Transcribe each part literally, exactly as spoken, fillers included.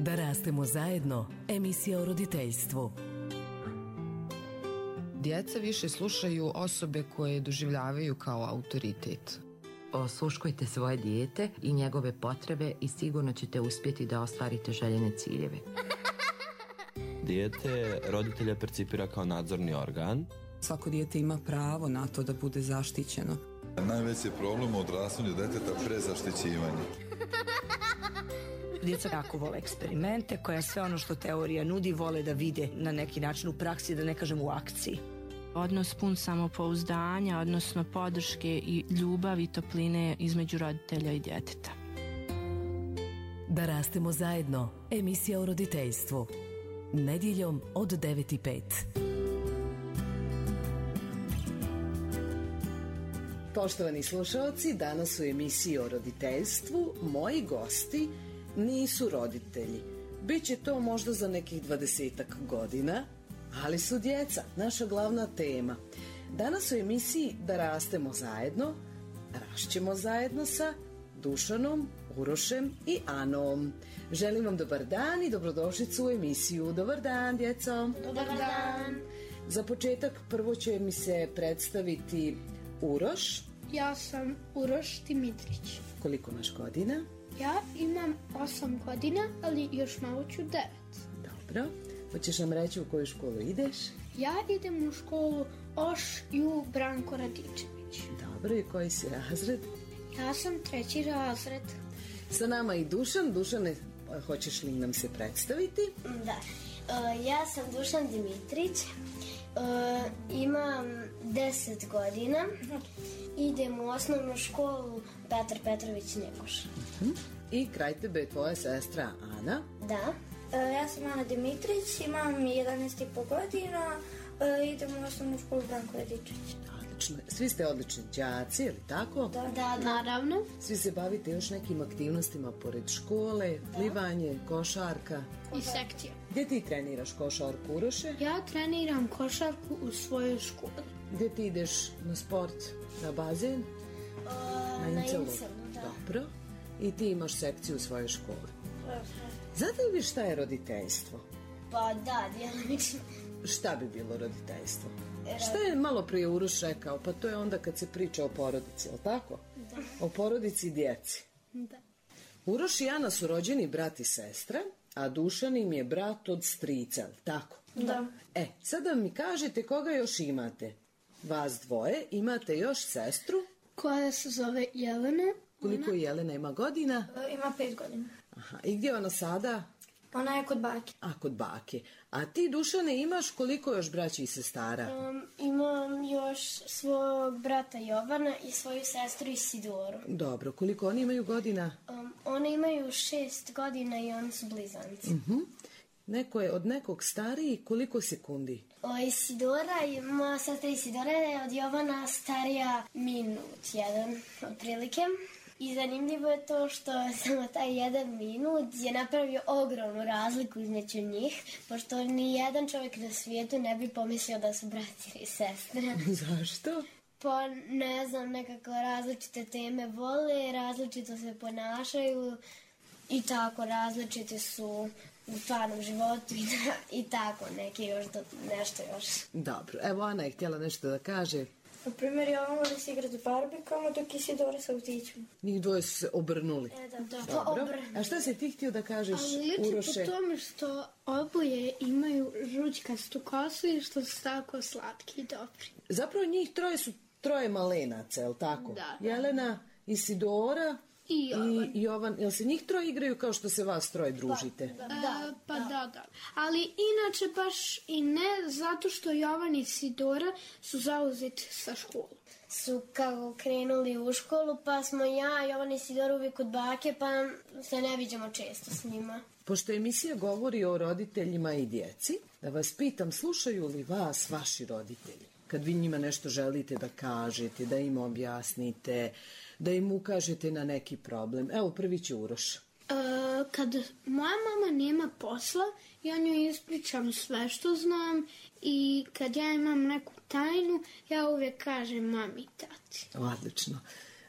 Da rastemo zajedno, emisija o roditeljstvu. Djeca više slušaju osobe koje doživljavaju kao autoritet. Osluškujte svoje dijete i njegove potrebe i sigurno ćete uspjeti da ostvarite željene ciljeve. Dijete roditelja percipira kao nadzorni organ. Svako dijete ima pravo na to da bude zaštićeno. Najveći problem u odrastanju deteta prezaštićivanje. Djeca jako vole eksperimente, koja sve ono što teorija nudi vole da vide na neki način u praksi, da ne kažem u akciji. Odnos pun samopouzdanja, odnosno podrške i ljubavi i topline između roditelja i djeteta. Da rastemo zajedno, emisija o roditeljstvu. Nedjeljom od devet i pet. Poštovani slušalci, danas u emisiji o roditeljstvu moji gosti nisu roditelji. Biće to možda za nekih dvadesetak godina, ali su djeca, naša glavna tema. Danas u emisiji Da rastemo zajedno, rašćemo zajedno sa Dušanom, Urošem i Anom. Želim vam dobar dan i dobrodošlicu u emisiju. Dobar dan, djeco. Dobar dan. Za početak prvo će mi se predstaviti Uroš. Ja sam Uroš Dimitrić. Koliko imaš godina? Ja imam osam godina, ali još malo ću devet. Dobro. Hoćeš nam reći u koju školu ideš? Ja idem u školu Oš Ju Branko Radičević. Dobro, i koji si razred? Ja sam treći razred. Sa nama i Dušan. Dušane, hoćeš li nam se predstaviti? Da. Uh, ja sam Dušan Dimitrić. Uh, imam deset godina. Idem u osnovnu školu Petar Petrović Njegoš. Uh-huh. I kraj tebe je tvoja sestra Ana. Da. Uh, ja sam Ana Dimitrić, imam jedanaest i po godina, uh, idem u osnovnu školu Branko Radičević. Odlično. Svi ste odlični đaci, je li tako? Da, da, da, naravno. Svi se bavite još nekim aktivnostima pored škole, plivanje, košarka. I sekcija. Gdje ti treniraš košarku, Uroše? Ja treniram košarku u svojoj školi. Gdje ti ideš na sport, na bazen? Uh, na Incelu, da. Dobro. I ti imaš sekciju u svojoj školi. Znate li vi šta je roditeljstvo? Pa da, djelomično. Šta bi bilo roditeljstvo? Rod... Šta je malo prije Uroš rekao? Pa to je onda kad se priča o porodici, je li tako? Da. O porodici i djeci. Da. Uroš i Ana su rođeni brat i sestra, a Dušan im je brat od strica, je li tako? Da. E, sada mi kažete koga još imate? Vas dvoje, imate još sestru? Koja se zove Jelena. Koliko je Jelena ima godina? Uh, ima pet godina. Aha, i gdje je ona sada? Ona je kod bake. A, kod bake. A ti, Dušane, imaš koliko još braća i sestara? Um, imam još svog brata Jovana i svoju sestru Isidoru. Dobro, koliko oni imaju godina? Um, one imaju šest godina i oni su blizanci. Uh-huh. Neko je od nekog stariji, koliko sekundi? O, Isidora, moja sestra Isidora je od Jovana starija minut, jedan, otprilike. I zanimljivo je to što samo taj jedan minut je napravio ogromnu razliku između njih, pošto ni jedan čovjek na svijetu ne bi pomislio da su brati i sestre. Zašto? Pa ne znam, nekako različite teme vole, različito se ponašaju i tako različite su u stvarnom životu i, da, i tako neki još do, nešto još. Dobro, evo Ana je htjela nešto da kaže. Na primjer, ja vam volim se igrati barbikama, dok Isidora sa autićima. Njih dvoje su se obrnuli. E, da, da. Dobro. A šta si ti htio da kažeš, Ali Uroše? Ali po tome što oboje imaju žućkastu kosu i što su tako slatki i dobri. Zapravo njih troje su troje malenaca, je li tako? Da. Jelena, Isidora i Jovan. I Jovan. Jel se njih troje igraju kao što se vas troje družite? Pa, da, da, pa da. da, da. Ali inače baš i ne, zato što Jovan i Isidora su zauzeti sa školom. Su kako krenuli u školu, pa smo ja, Jovan i Isidora uvijek kod bake, pa se ne viđamo često s njima. Pošto emisija govori o roditeljima i djeci, da vas pitam, slušaju li vas vaši roditelji? Kad vi njima nešto želite da kažete, da im objasnite, da im ukažete na neki problem. Evo, prvi će Uroš. E, kad moja mama nema posla, ja njoj ispričam sve što znam i kad ja imam neku tajnu, ja uvijek kažem mami i tati. Odlično.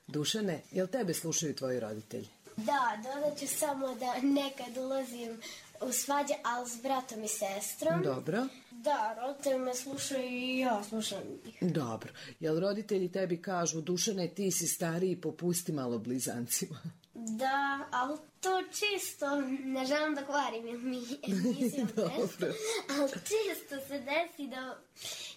Dušane, jel tebe slušaju tvoji roditelji? Da, dodat ću samo da nekad ulazim u svađi, ali s bratom i sestrom. Dobro. Da, roditelji me slušaju i ja slušam ih. Dobro. Jel roditelji tebi kažu, Dušane, ti si stariji, popusti malo blizancima? Da, ali to čisto, ne želim da kvarim jer mi emisijom nešto, ali čisto se desi da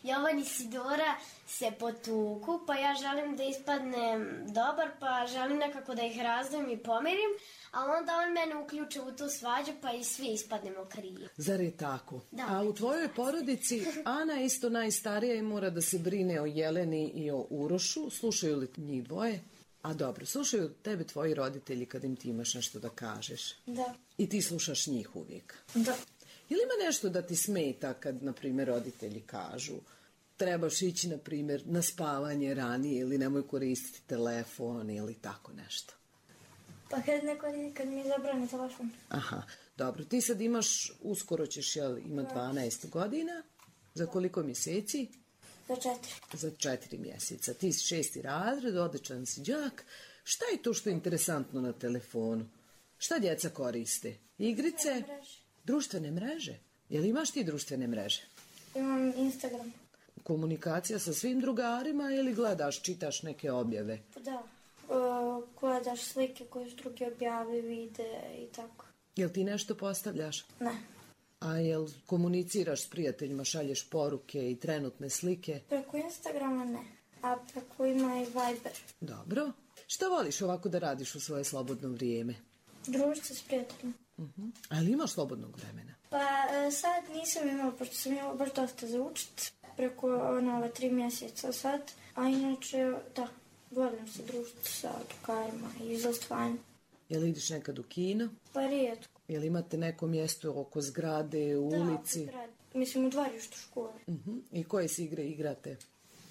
Jovan i Sidora se potuku, pa ja želim da ispadnem dobar, pa želim nekako da ih razdvojim i pomirim, ali onda on mene uključe u tu svađu, pa i svi ispadnemo krivi. Zar je tako? Da. A u tvojoj porodici Ana je isto najstarija i mora da se brine o Jeleni i o Urošu. Slušaju li njih dvoje? A dobro, slušaju tebe tvoji roditelji kad im ti imaš nešto da kažeš? Da. I ti slušaš njih uvijek? Da. Ili ima nešto da ti smeta kad, na primjer, roditelji kažu trebaš ići, na primjer, na spavanje ranije ili nemoj koristiti telefon ili tako nešto? Pa kad neko, kad mi zabrani telefon. Aha, dobro. Ti sad imaš, uskoro ćeš, jel, ima dvanaest godina. Za koliko mjeseci? Za četiri. Za četiri mjeseca. Ti si šesti razred, odličan si đak. Šta je to što je interesantno na telefonu? Šta djeca koriste? Igrice? Mreže. Društvene mreže? Jel imaš ti društvene mreže? Imam Instagram. Komunikacija sa svim drugarima ili gledaš, čitaš neke objave? Da. Uh, gledaš slike koje su drugi objavi, vide i tako. Jel ti nešto postavljaš? Ne. A jel komuniciraš s prijateljima, šalješ poruke i trenutne slike? Preko Instagrama ne, a preko ima i Viber. Dobro. Šta voliš ovako da radiš u svoje slobodno vrijeme? Družiti se s prijateljima. Uh-huh. Ali imaš slobodnog vremena? Pa sad nisam imala, pošto sam imala baš dosta za učit. Preko ono, ove tri mjeseca sad. A inače, da, volim se družiti sa drugarima i izostvajam. Jel ideš nekad u kino? Pa rijetko. Jel imate neko mjesto oko zgrade, u da, ulici? Da, mislim u dvorištu škole. Uh-huh. I koje se igre igrate?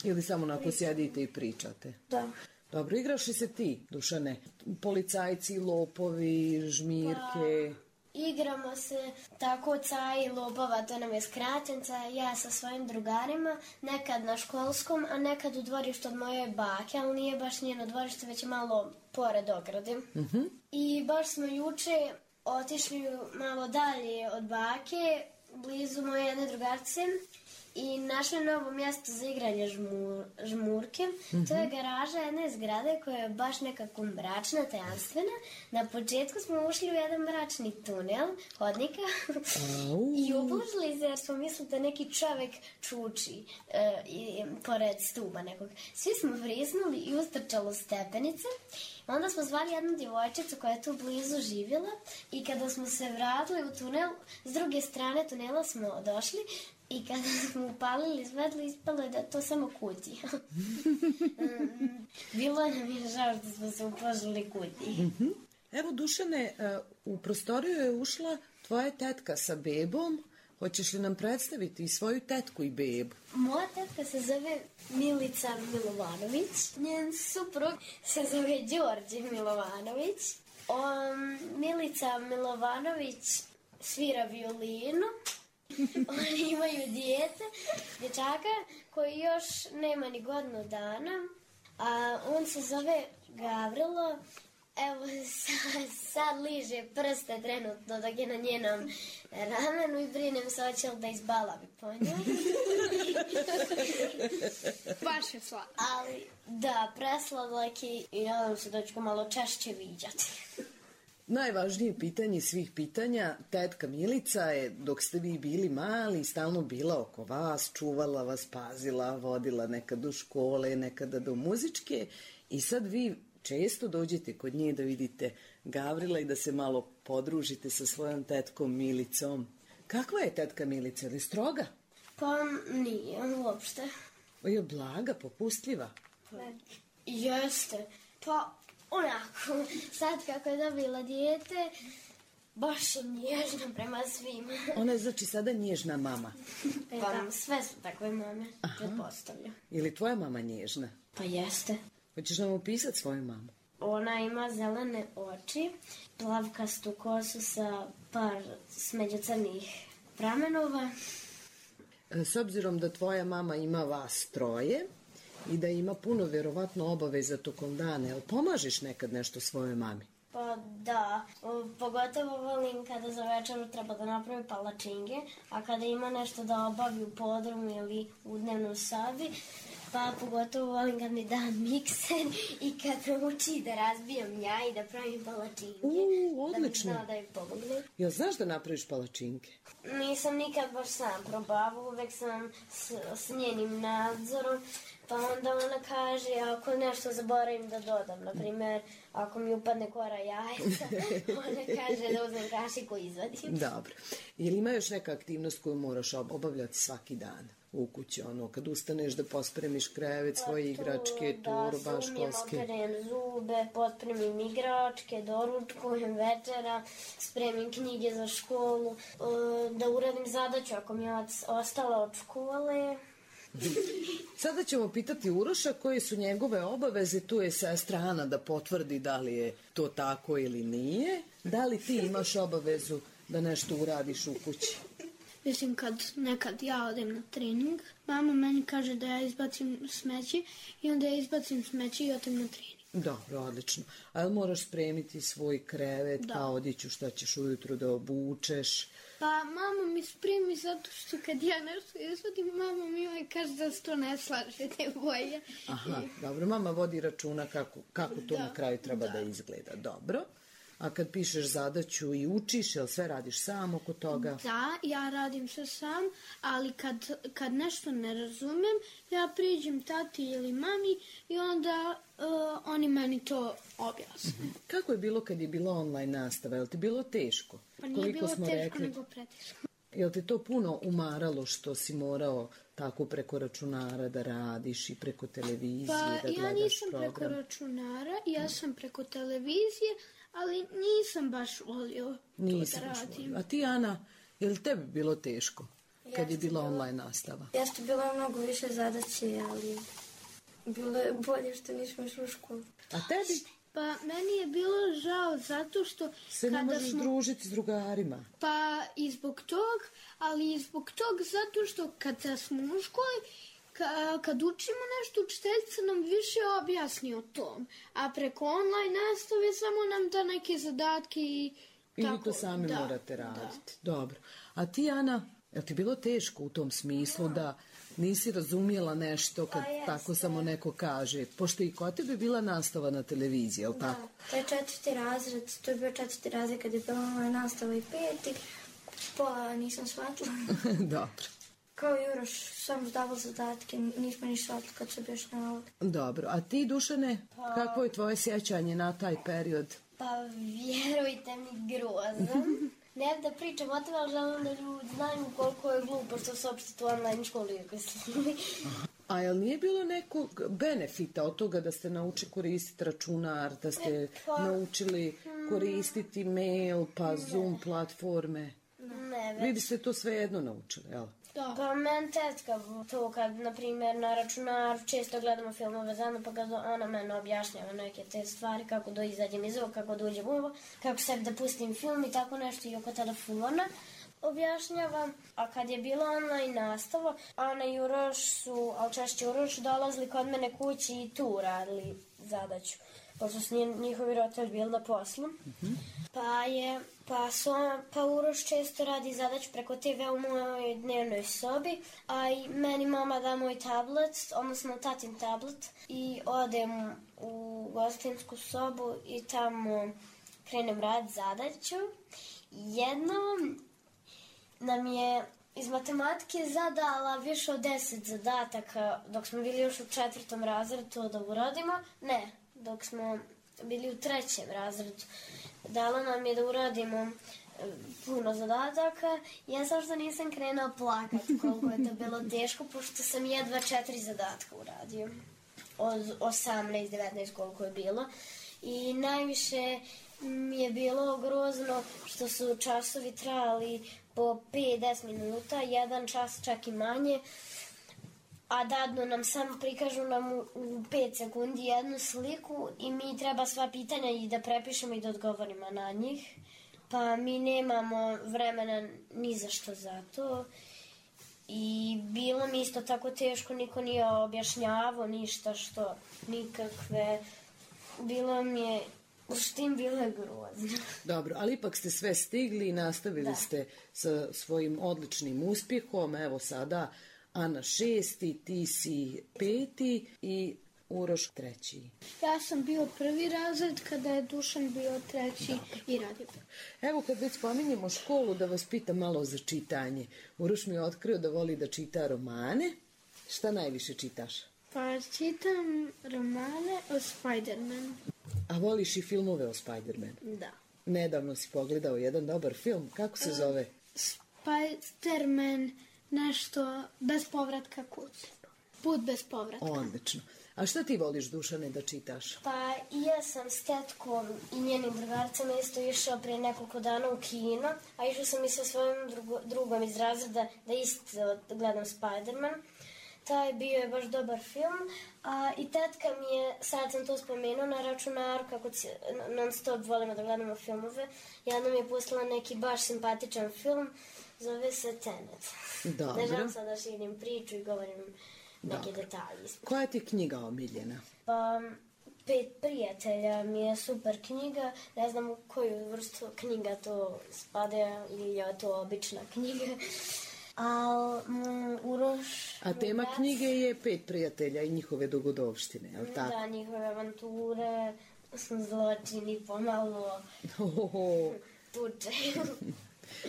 Ili samo onako Pričam. Sjedite i pričate? Da. Dobro, igraš li se ti, Dušane? Policajci, lopovi, žmirke? Pa, igramo se tako caji lopova, to nam je skraćenca, ja sa svojim drugarima, nekad na školskom, a nekad u dvorištu od moje bake, ali nije baš njeno dvorište, već je malo pored ograde. Uh-huh. I baš smo juče otišli malo dalje od bake, blizu moje jedne drugarce, i našli novo mjesto za igranje žmur, žmurke. Mm-hmm. To je garaža jedne zgrade koja je baš nekako mračna, tajanstvena. Na početku smo ušli u jedan mračni tunel hodnika i uplašili se jer smo mislili da neki čovjek čuči uh, i, pored stuba nekog. Svi smo vrisnuli i ustrčalo stepenice. Onda smo zvali jednu djevojčicu koja je tu blizu živjela i kada smo se vratili u tunel, s druge strane tunela smo došli i kada smo upalili svetlo, ispalo je da to samo kutija. Bilo nam je žao što smo se uplašili kutiji. Evo, Dušane, u prostoriju je ušla tvoja tetka sa bebom. Hoćeš li nam predstaviti i svoju tetku i bebu? Moja tetka se zove Milica Milovanović. Njen suprug se zove Đorđe Milovanović. Um, Milica Milovanović svira violinu. Oni imaju dijete, dječaka koji još nema ni godinu dana. A on se zove Gavrilo. Evo, sad, sad liže prste trenutno dok je na njenom ramenu i brinem se hoće li da izbalavi po njoj. Baš je slatko. Ali, da, presladak je i nadam se da ću ga malo češće viđati. Najvažnije pitanje svih pitanja, tetka Milica je, dok ste vi bili mali, stalno bila oko vas, čuvala vas, pazila, vodila nekad u škole, nekada do muzičke i sad vi često dođete kod nje da vidite Gavrila i da se malo podružite sa svojom tetkom Milicom. Kakva je tetka Milica? Je li stroga? Pa nije, uopšte. Je blaga, popustljiva? Ne. Jeste. Pa onako, sad kako je dobila dijete, baš je nježna prema svima. Ona je znači sada nježna mama? Pa sve su takve mame, pretpostavljam. Je li tvoja mama nježna? Pa jeste. Hoćeš nam opisati svoju mamu? Ona ima zelene oči, plavkastu kosu sa par smeđu crnih pramenova. S obzirom da tvoja mama ima vas troje i da ima puno vjerovatno obaveza tokom dana, jel pomažeš nekad nešto svojoj mami? Pa da, o, pogotovo volim kada za večeru treba da napravi palačinke, a kada ima nešto da obavi u podrumu ili u dnevnoj sobi, pa pogotovo volim kad mi da mikser i kad me uči da razbijam ja i da pravim palačinke. U, odlično. Da mi zna da mi pomogne. Jel znaš da napraviš palačinke? Nisam nikad baš sam probavao, uvek sam s, s njenim nadzorom, pa onda ona kaže ako nešto zaboravim da dodam, na primjer ako mi upadne kora jajca, ona kaže da uzmem kašiku i izvadim. Dobro. Jel ima još neka aktivnost koju moraš obavljati svaki dan u kući, ono, kad ustaneš da pospremiš krevet, svoje igračke, turba, školske? Da, se umijem, operem zube, pospremim igračke, doručkujem večera, spremim knjige za školu, da uradim zadaću ako mi je ostala od škole. Sada ćemo pitati Uroša koje su njegove obaveze, tu je sestra Ana da potvrdi da li je to tako ili nije. Da li ti imaš obavezu da nešto uradiš u kući? Mislim, kad nekad ja odem na trening, mama meni kaže da ja izbacim smeće i onda ja izbacim smeće i odem na trening. Dobro, odlično. A jel moraš spremiti svoj krevet, da. Pa odiću šta ćeš ujutru da obučeš? Pa mama mi spremi zato što kad ja nešto izvodim, mama mi ovaj kaže da se to ne slaže, te boje. Aha, dobro, mama vodi računa kako, kako to da, na kraju treba da. da izgleda. Dobro. A kad pišeš zadaću i učiš, jel sve radiš sam oko toga? Da, ja radim sve sam, ali kad, kad nešto ne razumem, ja priđem tati ili mami i onda uh, oni meni to objasne. Mm-hmm. Kako je bilo kad je bila online nastava? Je li ti bilo teško? Pa nije Koliko bilo smo teško, rekli? Nego preteško. Je li te to puno umaralo što si morao tako preko računara da radiš i preko televizije pa, da gledaš program? Pa ja nisam preko računara, ja sam preko televizije, ali nisam baš volio nisam to da radim. A ti, Ana, je li tebi bilo teško kad jeste je bila bilo, online nastava? Jeste, bilo je mnogo više zadaće, ali bilo je bolje što nismo išli u školu. A tebi? Pa meni je bilo žao zato što... Se ne možeš smo... družiti s drugarima. Pa i zbog tog, ali i zbog tog zato što kada smo u školi, Ka, kad učimo nešto, učiteljica nam više objasni o tom, a preko online nastave samo nam da neke zadatke i I tako. vi to sami da, morate raditi. Da. Dobro. A ti, Ana, je ti bilo teško u tom smislu da, da nisi razumijela nešto kad pa tako samo neko kaže? Pošto i kod tebe bila nastava na televiziji, je li da, tako? To je četvrti razred, to je bio četvrti razred kad je bila online nastava i peti, pola nisam shvatila. Dobro. Kao Juroš, sam zdavao zadatke, nismo ni shvatili kad se objašnjavali. Dobro, a ti, Dušane, pa... kakvo je tvoje sjećanje na taj period? Pa vjerujte mi, grozan. Ne da pričam o tome, ali želim da ljudi znaju koliko je glupo što se opštiti u online školi. A jel nije bilo nekog benefita od toga da ste naučili koristiti računar, da ste e, pa... naučili koristiti mail, pa ne. Zoom platforme? Ne, već. Vi biste to sve jedno naučili, jel? Da. Pa meni tetka to kad, na primjer, na računaru često gledamo filmove zajedno, pa kad ona mene objašnjava neke te stvari, kako da izađem iz ovo, kako da uđem u ovo, kako sebi da pustim film i tako nešto i oko telefona objašnjavam. A kad je bila online nastava, Ana i Uroš su, ali češće Uroš, dolazili kod mene kući i tu radili zadaću, pošto su njihovi roditelji bili na poslu. Mm-hmm. Pa je, pa, su, pa Uroš često radi zadaću preko te ve u mojoj dnevnoj sobi, a i meni mama da moj tablet, odnosno tatin tablet, i odem u gostinsku sobu i tamo krenem rad zadaću. Jednom nam je iz matematike zadala više od deset zadataka dok smo bili još u četvrtom razredu to da uradimo. Ne, dok smo bili u trećem razredu. Dala nam je da uradimo puno zadataka. Ja sam što nisam krenula plakati koliko je to bilo teško, pošto sam jedva četiri zadatka uradio. Od osamnaest devetnaest koliko je bilo. I najviše mi je bilo grozno što su časovi trajali po pet do deset minuta, jedan čas čak i manje, a dadno nam samo prikažu nam u, u pet sekundi jednu sliku i mi treba sva pitanja i da prepišemo i da odgovorimo na njih. Pa mi nemamo vremena ni za što za to. I bilo mi isto tako teško, niko nije objašnjavao ništa što, nikakve. Bilo mi je U štim bilo je grozno. Dobro, ali ipak ste sve stigli i nastavili da. ste sa svojim odličnim uspjehom. Evo sada Ana šesti, ti si peti i Uroš treći. Ja sam bio prvi razred kada je Dušan bio treći. Dobar. I Radimir. Evo kad već spominjemo školu, da vas pitam malo za čitanje. Uroš mi je otkrio da voli da čita romane. Šta najviše čitaš? Pa čitam romane o Spider-Manu. A voliš i filmove o Spider-Manu? Da. Nedavno si pogledao jedan dobar film. Kako se zove? Spider-Man, nešto bez povratka kući. Put bez povratka. Odlično. A šta ti voliš, Dušane, da čitaš? Pa ja sam s tetkom i njenim drugarcama isto išao prije nekoliko dana u kino, a išao sam i sa svojim drugo, drugom iz razreda da isto gledam Spider-Man. Taj bio je baš dobar film, a i tetka mi je, sad sam to spomenuo na računaru, kako non stop volimo da gledamo filmove, jedna mi je pustila neki baš simpatičan film, zove se Tenet. Dobro. Ne želim sad da širim priču i govorim neke Dobro. detalje. Koja ti je knjiga omiljena? Pa, Pet prijatelja mi je super knjiga, ne znam u koju vrstu knjiga to spada ili je to obična knjiga. A, um, Uroš... A tema brat, knjige je Pet prijatelja i njihove dogodovštine, je li tako? Da, njihove avanture, zločini, pomalo tuče.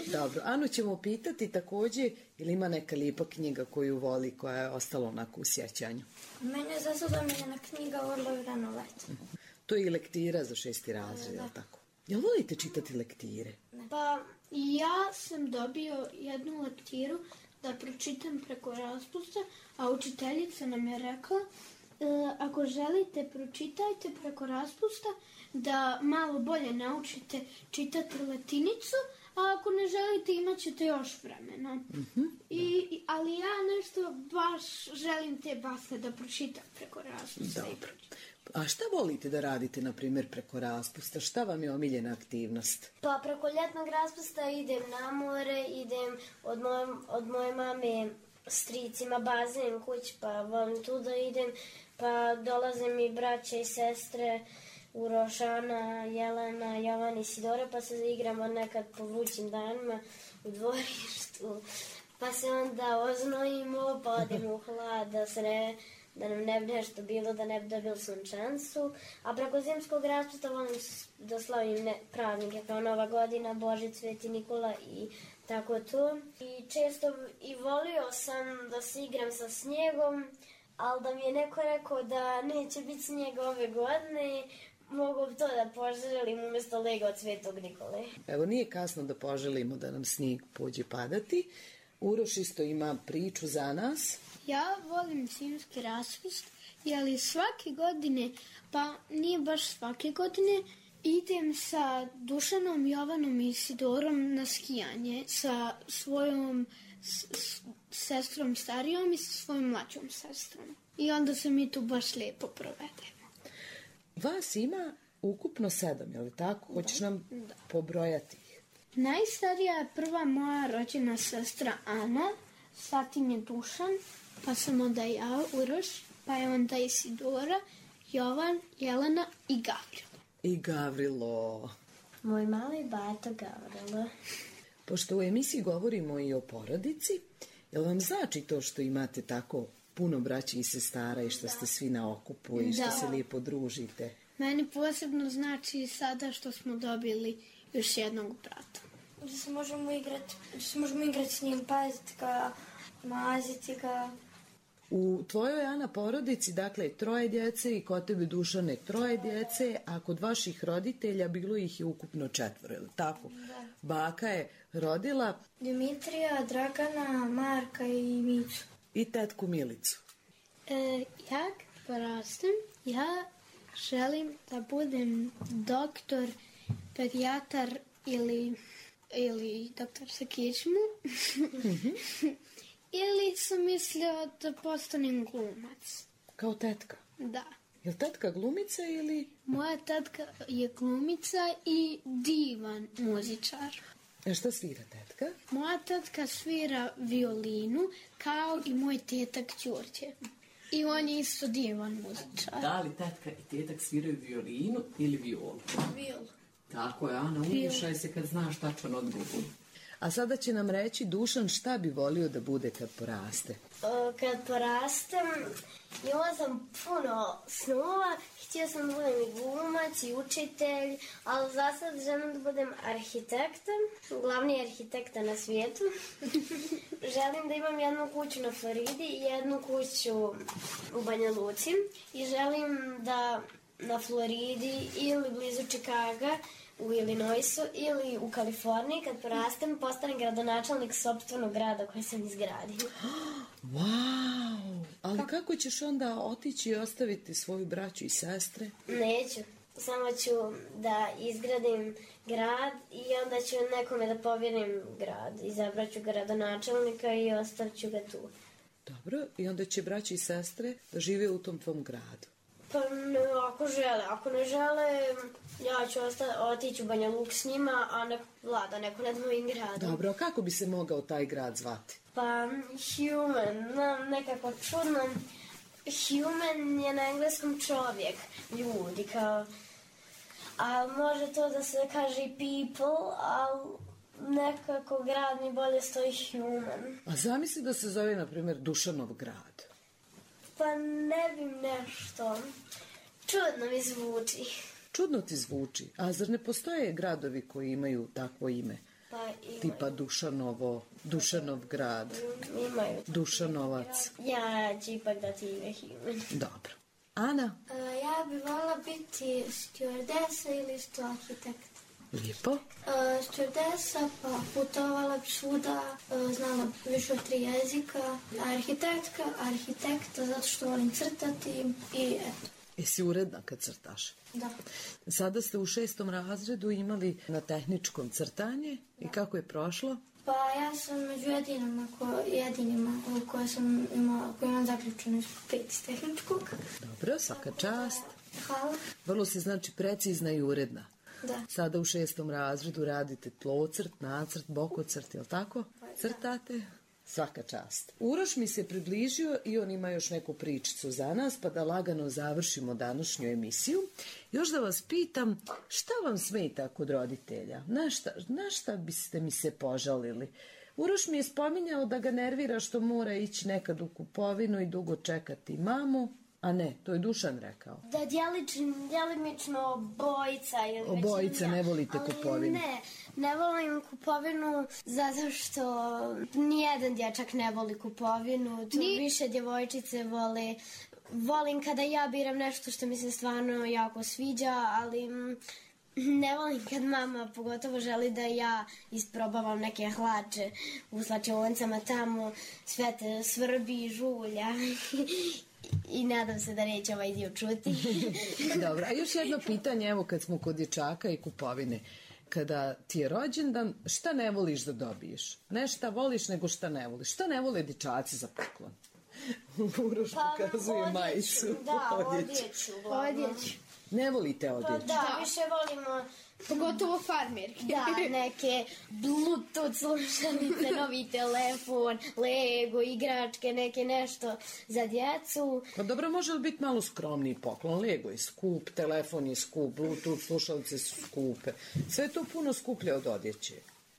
Dobro, Anu ćemo pitati također ili ima neka lijepa knjiga koju voli, koja je ostala onako u sjećanju. Mene je za sad omiljena knjiga Orlovi rano let. To je i lektira za šesti razred, je li tako? Jel volite čitati lektire? Pa ja sam dobio jednu lektiru da pročitam preko raspusta, a učiteljica nam je rekla e, ako želite pročitajte preko raspusta da malo bolje naučite čitati latinicu, a ako ne želite imat ćete još vremena. Mm-hmm. I, ali ja nešto baš želim te basne da pročitam preko raspusta. Dobro. A šta volite da radite, na primjer, preko raspusta? Šta vam je omiljena aktivnost? Pa preko ljetnog raspusta idem na more, idem od moje, od moje mame stricima bazen kuć, pa volim tu da idem, pa dolaze mi braće i sestre Uroš, Ana, Jelena, Jovan i Sidora, pa se igramo nekad po vrućim danima u dvorištu, pa se onda oznojimo, pa odemo u hlad da se ne... da nam ne bi nešto bilo, da ne bi dobili sunčancu. A preko zimskog raspusta volim da slavim ne, praznike kao Nova godina, Božić, Sveti Nikola i tako to. I često i volio sam da se igram sa snijegom, ali da mi je neko rekao da neće biti snijeg ove godine, mogu to da poželim umjesto Lego od Svetog Nikole. Evo, nije kasno da poželimo da nam snijeg pođe padati. Uroš isto ima priču za nas. Ja volim zimski raspust, jer svake godine, pa nije baš svake godine, idem sa Dušanom, Jovanom i Sidorom na skijanje sa svojom s, s, sestrom starijom i sa svojom mlađom sestrom. I onda se mi tu baš lijepo provedemo. Vas ima ukupno sedam, je li tako? Hoćeš nam da. pobrojati ih? Najstarija je prva moja rođena sestra Ana, zatim je Dušan, pa sam onda ja, Uroš, pa je onda Isidora, Jovan, Jelena i Gavrilo. I Gavrilo. Moj mali bato Gavrilo. Pošto u emisiji govorimo i o porodici, jel vam znači to što imate tako puno braće i sestara i što da. ste svi na okupu i što da. se lijepo družite? Meni posebno znači sada što smo dobili još jednog brata. Da se možemo igrati, da se možemo igrati s njim, paziti ga, maziti ga. U tvojoj, Ana, porodici, dakle, troje djece i kod tebe, Dušane, troje djece, a kod vaših roditelja bilo ih je ukupno četvoro, je li tako? Da. Baka je rodila Dimitrija, Dragana, Marka i Micu. I tetku Milicu. E, ja porastem, ja želim da budem doktor, pedijatar ili, ili doktor sa kičmu. Mm-hmm. Ili sam mislio da postanem glumac. Kao tetka? Da. Je li tetka glumica ili... Moja tetka je glumica i divan muzičar. A šta svira tetka? Moja tetka svira violinu, kao i moj tetak Đurđe. I on je isto divan muzičar. Da li tetka i tetak sviraju violinu ili violu? Violu. Tako je, Ana, umješaj se kad znaš tačan odgovor. A sada će nam reći Dušan šta bi volio da bude kad poraste. O, kad porastem, imala sam puno snova, htio sam da budem i glumac i učitelj, ali za sad želim da budem arhitekta, glavni arhitekta na svijetu. Želim da imam jednu kuću na Floridi i jednu kuću u Banja Luci i želim da na Floridi ili blizu Čikaga u Illinoisu ili u Kaliforniji, kad porastem, postanem gradonačelnik sopstvenog grada koji sam izgradio. Wow! Ali kako? kako ćeš onda otići i ostaviti svoju braću i sestre? Neću. Samo ću da izgradim grad i onda ću nekome da povjerim grad. Izabraću gradonačelnika i ostavću ga tu. Dobro, i onda će braći i sestre da žive u tom tvom gradu. Pa ne, ako žele, ako ne žele, ja ću osta- otići u Banja Luk s njima, a ne vlada neko nad mojim gradom. Dobro, a kako bi se mogao taj grad zvati? Pa, human, no, nekako čudno. Human je na engleskom čovjek, ljudi, kao... A može to da se kaže i people, ali nekako grad mi bolje stoji human. A zamisli da se zove, na primjer, Dušanov grad. Pa ne bi nešto. Čudno mi zvuči. Čudno ti zvuči. A zar ne postoje gradovi koji imaju takvo ime? Pa imaju. Tipa Dušanovo, Dušanov grad. Imaju. Dušanovac. Ja ću ipak dati ime human. Dobro. Ana? Uh, ja bi volila biti stewardesa ili sto arhitekt. Lijepo. Uh, stewardesa, pa putovala bi svuda, uh, znala više od tri jezika. Arhitektka, arhitekta, zato što volim crtati i eto. Jesi uredna kad crtaš? Da. Sada ste u šestom razredu imali na tehničkom crtanje i kako je prošlo? Pa ja sam među jedinima, ko, jedinima koje sam imala, koje imam zaključeno pet iz tehničkog. Dobro, svaka čast. Hvala. Vrlo si znači precizna i uredna. Da. Sada u šestom razredu radite tlocrt, nacrt, bokocrt, jel tako? Crtate? Svaka čast. Uroš mi se približio i on ima još neku pričicu za nas, pa da lagano završimo današnju emisiju. Još da vas pitam, šta vam smeta kod roditelja? Na šta, na šta biste mi se požalili? Uroš mi je spominjao da ga nervira što mora ići nekad u kupovinu i dugo čekati mamu. A ne, to je Dušan rekao. Da, djelično, djelimično obojica. Ili obojica, ne volite ali kupovinu. Ne, ne volim kupovinu zato što nijedan dječak ne voli kupovinu. To Ni... više djevojčice vole. Volim kada ja biram nešto što mi se stvarno jako sviđa, ali... Ne volim kad mama pogotovo želi da ja isprobavam neke hlače u slačionicama tamo, sve te svrbi, žulja i nadam se da neće ovaj dio čuti. Dobro, a još jedno pitanje, evo kad smo kod dječaka i kupovine. Kada ti je rođendan, šta ne voliš da dobiješ? Ne šta voliš, nego šta ne voliš. Šta ne vole dječaci za poklon? Uroš pa, pokazuje odjeću, majicu. Da, odjeću. Odjeću. Ne volite odjeću? Pa da, da, više volimo... Pogotovo farmerke. Da, neke Bluetooth slušalice, novi telefon, Lego, igračke, neke nešto za djecu. Pa dobro, može li biti malo skromniji poklon? Lego je skup, telefon je skup, Bluetooth slušalice su skupe. Sve je to puno skuplje od odjeće.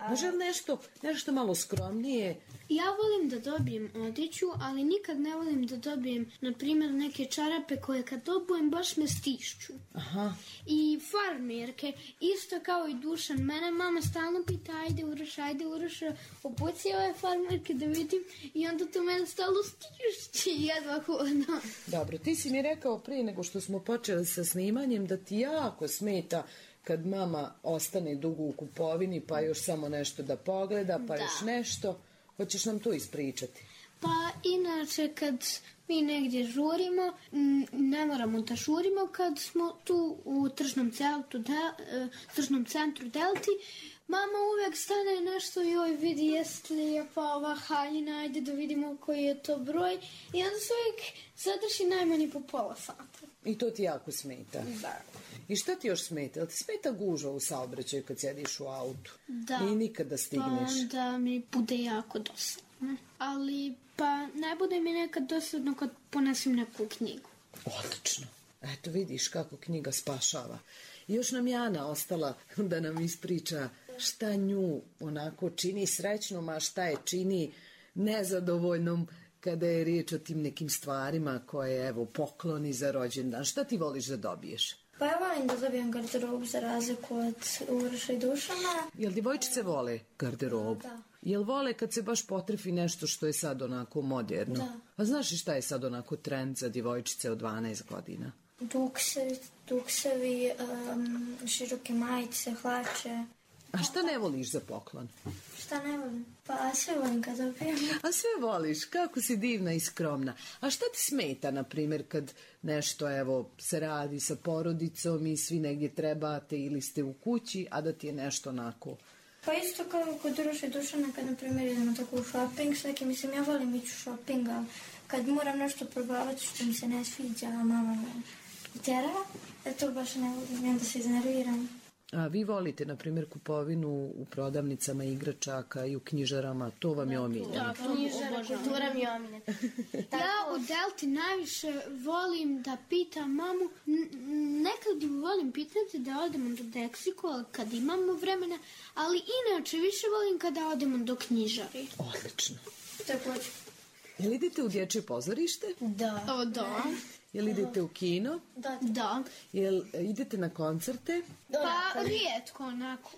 Može li nešto, nešto malo skromnije? Ja volim da dobijem odjeću, ali nikad ne volim da dobijem, na primjer, neke čarape koje kad dobujem baš me stišću. Aha. I farmerke, isto kao i Dušan. Mene mama stalno pita, ajde Uroš, ajde Uroš, opuci ove farmerke da vidim. I onda to mene stalno stišći, jedva hodno. Dobro, ti si mi rekao prije nego što smo počeli sa snimanjem da ti jako smeta kad mama ostane dugo u kupovini, pa još samo nešto da pogleda, pa da. još nešto. Hoćeš nam to ispričati? Pa inače kad mi negdje žurimo, ne moramo da žurimo kad smo tu u tržnom centru, de, tržnom centru Delti, mama uvijek stane nešto i joj vidi jeste li lijepa ova haljina, ajde da vidimo koji je to broj i onda se uvijek zadrži najmanje po pola sata. I to ti jako smeta? Da. I šta ti još smeta? Jel ti smeta gužva u saobraćaju kad sjediš u autu? Da. I nikad da stigneš? Pa onda mi bude jako dosadno. Ne. Ali, pa, ne bude mi nekad dosadno kad ponesem neku knjigu. Odlično. Eto vidiš kako knjiga spašava. I još nam Jana ostala da nam ispriča šta nju onako čini srećnom, a šta je čini nezadovoljnom kada je riječ o tim nekim stvarima koje, evo, pokloni za rođendan. Šta ti voliš da dobiješ? Pa ja volim da dobijem garderobu za razliku od Uroša i Dušana. Jel djevojčice vole garderobu? Da. Jel vole kad se baš potrefi nešto što je sad onako moderno? Da. A znaš li šta je sad onako trend za djevojčice od dvanaest godina? Duksevi, duksevi um, široke majice, hlače. A šta ne voliš za poklon? Šta ne volim? Pa sve volim kad dobijem. A sve voliš, kako si divna i skromna. A šta ti smeta, na primjer, kad nešto, evo, se radi sa porodicom i svi negdje trebate ili ste u kući, a da ti je nešto onako... Pa isto kao kod Uroša i Dušana, kad, na primjer, idemo tako u shopping, s nekim, mislim, ja volim ići u shopping, ali kad moram nešto probavati što mi se ne sviđa, a mama me tjera, da to baš ne volim, onda se iznerviram. A vi volite, na primjer, kupovinu u prodavnicama igračaka i u knjižarama, to vam je omiljeno. Da, knjižara, kultura mi je omiljena. Ja u Delti najviše volim da pitam mamu, nekad volim pitati da odemo do Deksiko kad imamo vremena, ali inače više volim kada odemo do knjižari. Odlično. Također. Jel idete u dječje pozorište? Da. O, da. Jel idete u kino? Da. Da. Jel idete na koncerte? Pa rijetko onako.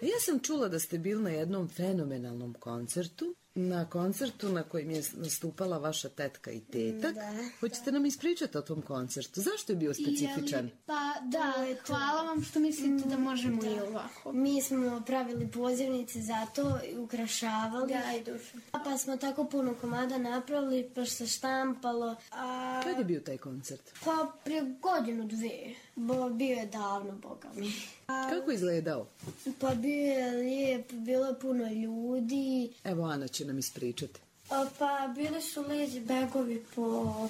Ja sam čula da ste bili na jednom fenomenalnom koncertu, na koncertu na kojem je nastupala vaša tetka i tetak. Da. Hoćete nam ispričati o tom koncertu? Zašto je bio specifičan? Jeli, pa da, hvala vam što mislite da možemo i ovako. Mi smo pravili pozivnice za to i ukrašavali. Ja i Duša. Pa smo tako puno komada napravili, pa se štampalo. A... Kad je bio taj koncert? Pa prije godinu, dvije. Bo, bio je davno, boga mi. A... Kako je izgledao? Pa bio je lijep, bilo je puno ljudi. Evo, Ana će nam ispričati. A, pa bili su lezi begovi po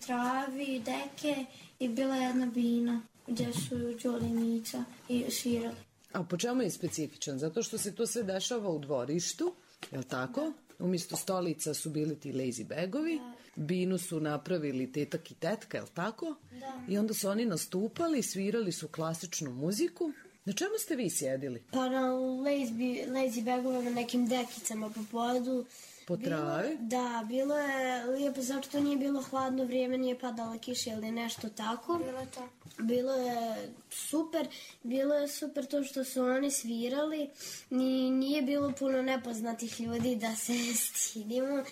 travi, deke i bila je jedna bina gdje su Đole i Mica i svirali. A po čemu je specifičan? Zato što se to sve dešava u dvorištu, je li tako? Umjesto stolica su bili ti lazy bagovi, binu su napravili tetak i tetka, je li tako? Da. I onda su oni nastupali, svirali su klasičnu muziku. Na čemu ste vi sjedili? Pa na lazy, lazy bagovima, nekim dekicama po podu. Po travi? Da, bilo je lijepo, zato što nije bilo hladno vrijeme, nije padala kiša ili nešto tako. Bilo je to. Bilo je super, bilo je super to što su oni svirali, Ni, nije bilo puno nepoznatih ljudi da se stidimo.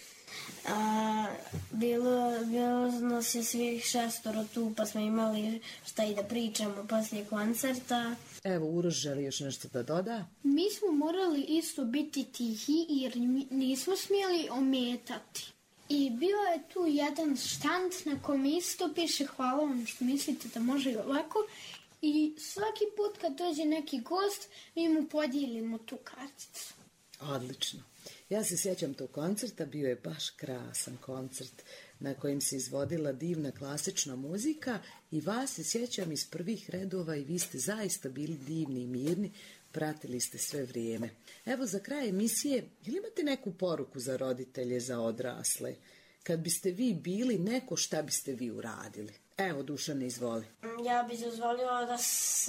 A, bilo, bilo nas je svih šestoro tu, pa smo imali šta i da pričamo poslije koncerta. Evo, Uroš želi još nešto da doda. Mi smo morali isto biti tihi jer nismo smjeli ometati. I bio je tu jedan štand na kojem isto piše hvala vam što mislite da može i ovako. I svaki put kad dođe neki gost, mi mu podijelimo tu karticu. Odlično. Ja se sjećam tog koncerta, bio je baš krasan koncert na kojem se izvodila divna klasična muzika i vas se sjećam iz prvih redova i vi ste zaista bili divni i mirni, pratili ste sve vrijeme. Evo za kraj emisije, ili imate neku poruku za roditelje, za odrasle? Kad biste vi bili neko, šta biste vi uradili? Evo, Dušane, izvoli. Ja bih dozvolila da s,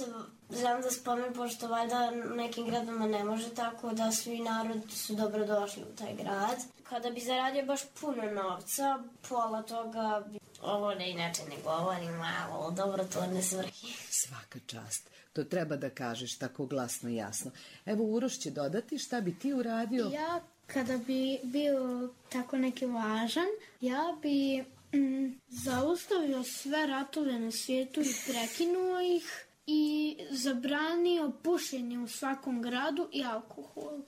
znam da spomen, pošto valjda nekim gradama ne može tako, da svi narod su dobrodošli u taj grad. Kada bi zaradio baš puno novca, pola toga bi... Ovo ne inače ne govorim, malo dobrotvorne svrhe. Svaka čast. To treba da kažeš tako glasno i jasno. Evo, Uroš će dodati šta bi ti uradio. Ja, kada bi bio tako neki važan, ja bi... Mm, zaustavio sve ratove na svijetu i prekinuo ih i zabranio pušenje u svakom gradu i alkohol.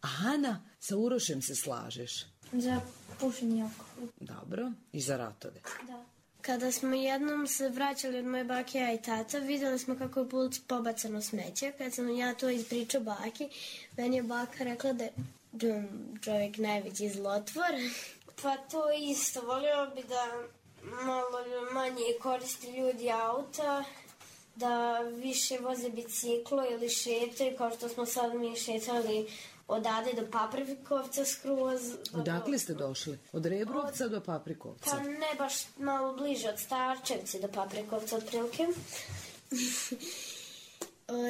A Ana, sa Urošem se slažeš? Za pušenje i alkohol. Dobro, i za ratove. Da. Kada smo jednom se vraćali od moje bake, ja i tata, vidjeli smo kako je put pobacano smeće. Kad sam ja to ispričao baki, meni je baka rekla da je čovjek najveći zlotvor. Pa to isto, volio bi da malo manje koristi ljudi auta, da više voze biciklo ili šetaju, kao što smo sad mi šetali odade do Paprikovca skroz. Odakle ste došli? Od Rebrovca od... do Paprikovca? Pa ne baš, malo bliže od Starčevci do Paprikovca otprilike.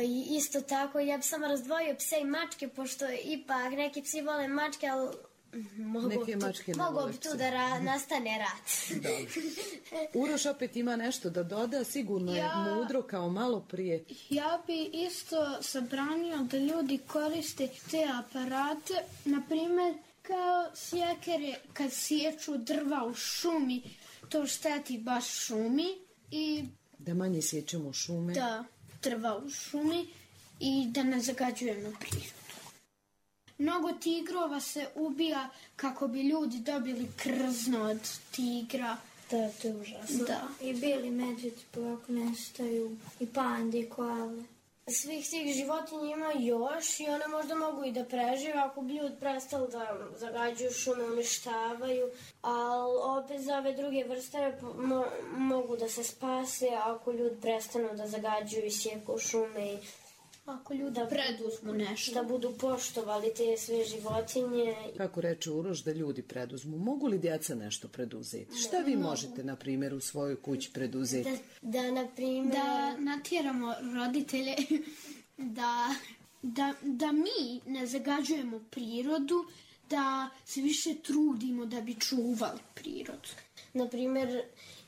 I isto tako, ja bi samo razdvojio pse i mačke, pošto ipak neki psi vole mačke, ali mogu neke tu, mačke ne mogu vole bi tu pse. da ra, nastane rat. Uroš opet ima nešto da doda, sigurno je Ja- mudro kao malo prije. Ja bi isto zabranio da ljudi koriste te aparate, na primjer kao sjekere kad sječu drva u šumi, to šteti baš šumi i Da manje sjećamo šume. da drva u šumi i da ne zagađujemo prirodu. Mnogo tigrova se ubija kako bi ljudi dobili krzno od tigra. Da, to je užasno. Da. I bijeli medvjedi polako nestaju, i pandi, i koale. Svih tih životinja ima još i one možda mogu i da prežive ako bi ljudi prestali da zagađuju šume, uništavaju, ali opet za ove druge vrste mo mogu da se spase ako ljudi prestanu da zagađuju i sjeku šume i ako ljudi da preduzmu nešto. Da budu poštovali te sve životinje. Kako reče Uroš, da ljudi preduzmu. Mogu li djeca nešto preduzeti? Šta vi možete, na primjer, u svojoj kući preduzeti? Da, da na primjer... Da natjeramo roditelje da, da, da mi ne zagađujemo prirodu, da se više trudimo da bi čuvali prirodu. Na primjer,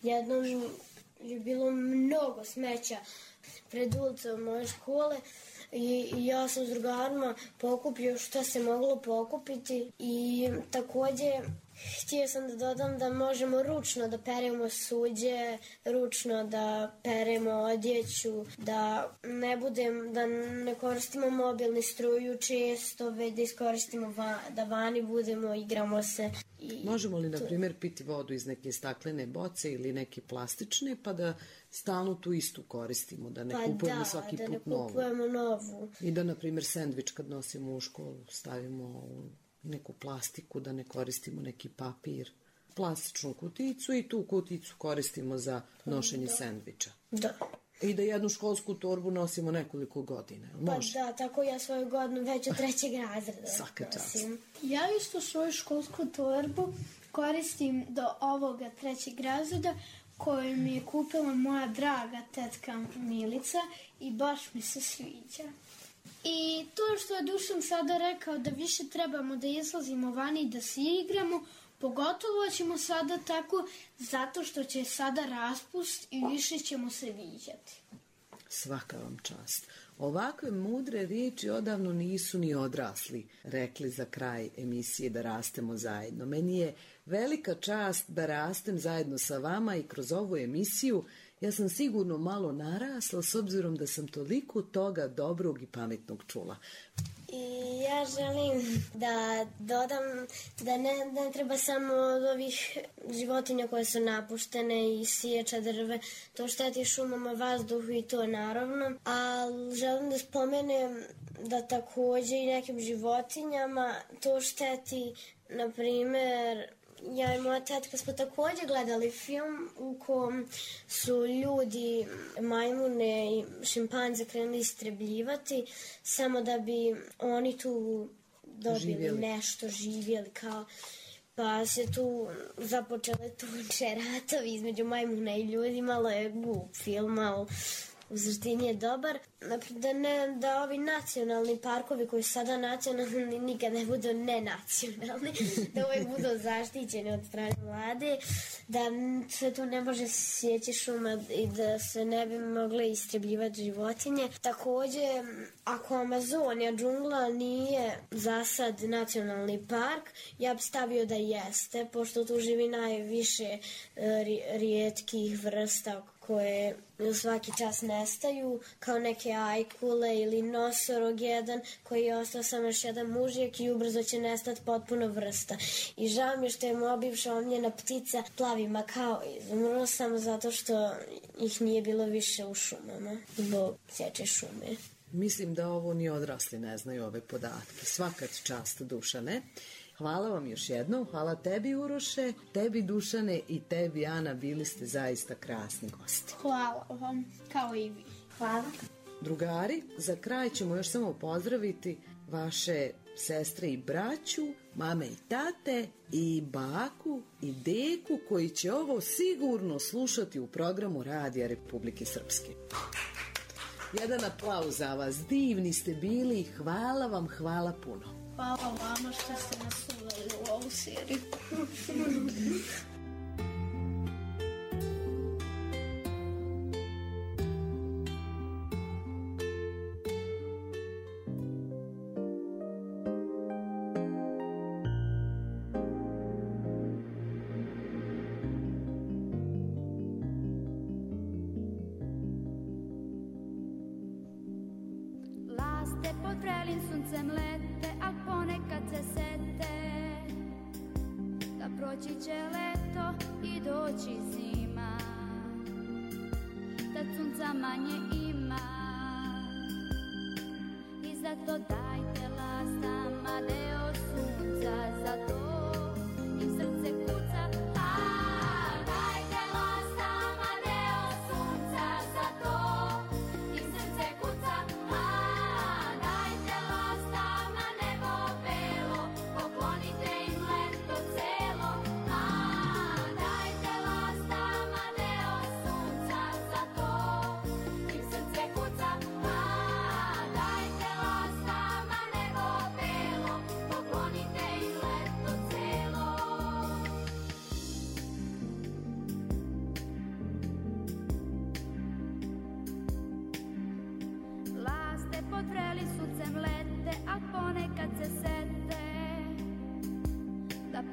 jednom je bilo mnogo smeća pred ulicom moje škole i, i ja sam s drugarima pokupio što se moglo pokupiti i također htio sam da dodam da možemo ručno da peremo suđe, ručno da peremo odjeću, da ne budem, da ne koristimo mobilni struju često, već da iskoristimo va, da vani budemo, igramo se. I Možemo li, na primjer, piti vodu iz neke staklene boce ili neke plastične, pa da stalno tu istu koristimo, da ne pa kupujemo da, svaki da put ne novu. kupujemo novu. I da, na primjer, sendvič kad nosimo u školu stavimo u neku plastiku, da ne koristimo neki papir, plastičnu kuticu i tu kuticu koristimo za nošenje da. sendviča. Da. I da jednu školsku torbu nosimo nekoliko godina. Može? Pa da, tako ja svoju godinu već od trećeg razreda. Svaka čast. Ja isto svoju školsku torbu koristim do ovoga trećeg razreda koju mi je kupila moja draga tetka Milica i baš mi se sviđa. I to što je Dušan sada rekao da više trebamo da izlazimo vani i da se igramo, pogotovo ćemo sada tako zato što će sada raspust i više ćemo se viđati. Svaka vam čast. Ovakve mudre riječi odavno nisu ni odrasli rekli za kraj emisije Da rastemo zajedno. Meni je velika čast da rastem zajedno sa vama i kroz ovu emisiju ja sam sigurno malo narasla s obzirom da sam toliko toga dobrog i pametnog čula. I ja želim da dodam da ne, ne treba samo od ovih životinja koje su napuštene i siječa drve, to šteti šumama, vazduhu i to naravno, ali želim da spomenem da također i nekim životinjama to šteti, na primjer, ja i moja tetka smo također gledali film u kom su ljudi majmune i šimpanze krenuli istrebljivati samo da bi oni tu dobili živjeli. nešto, živjeli kao, pa se tu započele tuče, ratovi između majmuna i ljudi, malo je glup film, ali u suštini je dobar. Da, ne, da ovi nacionalni parkovi koji su sada nacionalni nikad ne budu nenacionalni, da uvijek budu zaštićeni od strane vlade, da se tu ne može sjeći šuma i da se ne bi mogle istrebljivati životinje. Također, ako Amazonija džungla nije za sad nacionalni park, ja bi stavio da jeste, pošto tu živi najviše rijetkih vrsta koje svaki čas nestaju, kao neke ajkule ili nosorog jedan koji je ostao samo još jedan mužjak i ubrzo će nestati potpuno vrsta. I žao mi je što je moja bivša omiljena ptica plavi makao izumro samo zato što ih nije bilo više u šumama zbog sječe šume. Mislim da ovo ni odrasli ne znaju ove podatke. Svaka čast, Dušane. Hvala vam još jednom, hvala tebi Uroše, tebi Dušane i tebi Ana, bili ste zaista krasni gosti. Hvala vam, kao i vi. Hvala. Drugari, za kraj ćemo još samo pozdraviti vaše sestre i braću, mame i tate i baku i deku koji će ovo sigurno slušati u programu Radija Republike Srpske. Jedan aplauz za vas, divni ste bili, hvala vam, hvala puno. Hvala vama što ste nas uveli u ovu seriju. Laste pod vrelim suncem lete, a ponekad se sete da proći će leto i doći zima, da sunca manje ima i zato dajte lastama deo sunca, zato im srce kuca.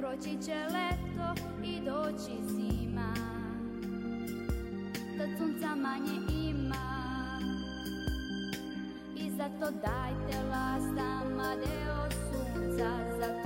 Proći će leto i doći zima, da sunca manje ima i zato dajte lastama deo sunca, zato